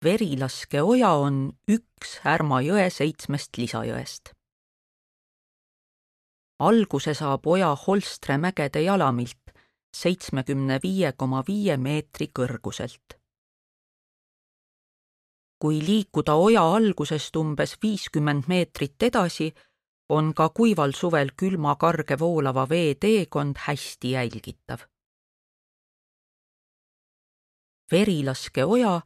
Verilaskeoja on üks Härma jõe 7 lisajõest. Alguse saab oja Holstre mägede jalamilt 75,5 meetri kõrguselt. Kui liikuda oja algusest umbes 50 meetrit edasi, on ka kuival suvel külma karge voolava vee teekond hästi jälgitav. Verilaskeoja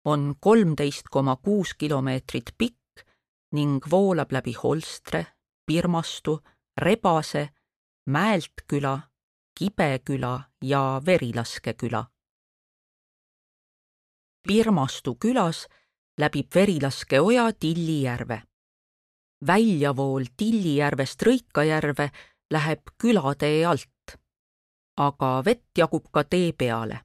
on 13,6 kilomeetrit pikk ning voolab läbi Holstre, Pirmastu, Rebase, Mäeltküla, Kibeküla ja Verilaskeküla. Pirmastu külas läbib Verilaskeoja Tillijärve. Väljavool Tillijärvest Rõikajärve läheb külatee alt, aga vett jagub ka tee peale.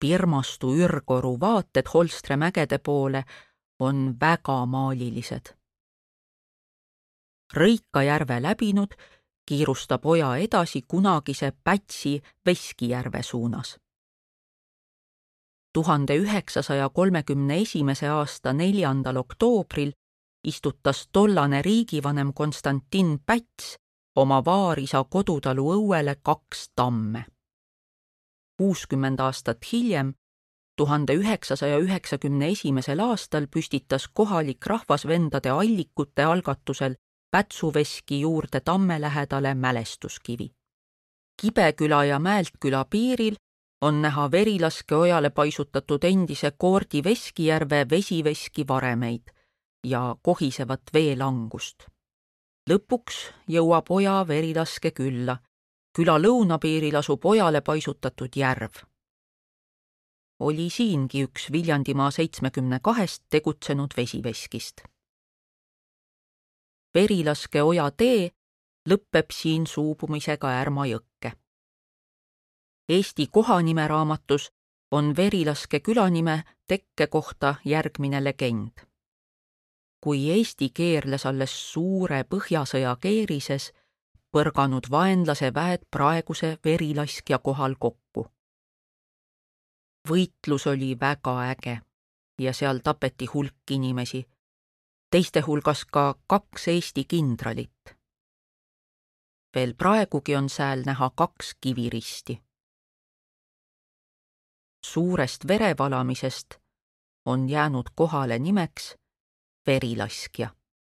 Pirmastu ürgoru vaated Holstre mägede poole on väga maalilised. Rõikajärve läbinud kiirustab oja edasi kunagise Pätsi Veskijärve suunas. 1931. aasta 4. oktoobril istutas tollane riigivanem Konstantin Päts oma vaarisa kodutalu õuele 2 tamme. 60 aastat hiljem, 1991. aastal püstitas kohalik rahvasvendade Allikute algatusel Pätsuveski juurde tamme lähedale mälestuskivi. Kibeküla ja Mäeltküla piiril on näha Verilaskeojale paisutatud endise Koordi Veskijärve vesiveski varemeid ja kohisevat veelangust. Lõpuks jõuab oja Verilaskekülla. Küla lõunapiiril asub ojale paisutatud järv. Oli siingi üks Viljandimaa 72 tegutsenud vesiveskist. Verilaskeoja tee lõppeb siin suubumisega Ärma jõkke. Eesti kohanimeraamatus on Verilaske külanime tekke kohta järgmine legend. Kui Eesti keerles alles suure Põhjasõja keerises, põrganud vaenlase väed praeguse Verilaskja kohal kokku. Võitlus oli väga äge ja seal tapeti hulk inimesi, teiste hulgas ka 2 Eesti kindralit. Veel praegugi on sääl näha 2 kiviristi. Suurest verevalamisest on jäänud kohale nimeks Verilaskja.